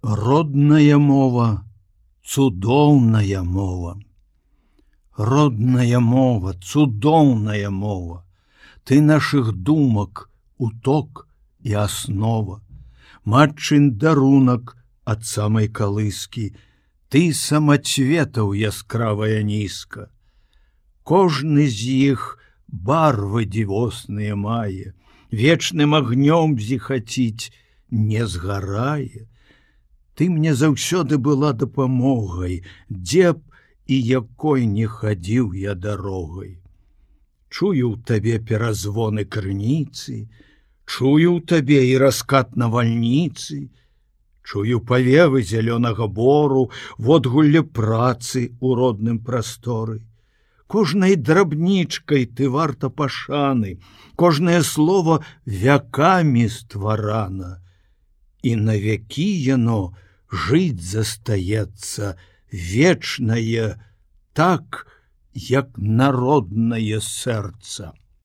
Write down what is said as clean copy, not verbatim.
Родная мова, цудоўная мова. Родная мова, цудоўная мова. Ты наших думак, уток і аснова. Матчын дарунак ад самай калыскі. Ты самацветаў яскравая нізка. Кожны з іх барвы дзівосныя мае, вечным агнём зіхаціць не згарае. Ты мне заўсёды была дапамогай, дзе б і якой не хадзіў я дарогай. Чую ў табе перазвоны крыніцы, чую ў табе і раскат навальніцы, чую павевы зялёнага бору, водгулле працы ў родным прасторы. Кожнай драбнічкай ты варта пашаны, кожнае слово вякамі стварана, і навякі яно жыць застаецца вечнае, так, як народнае сэрца.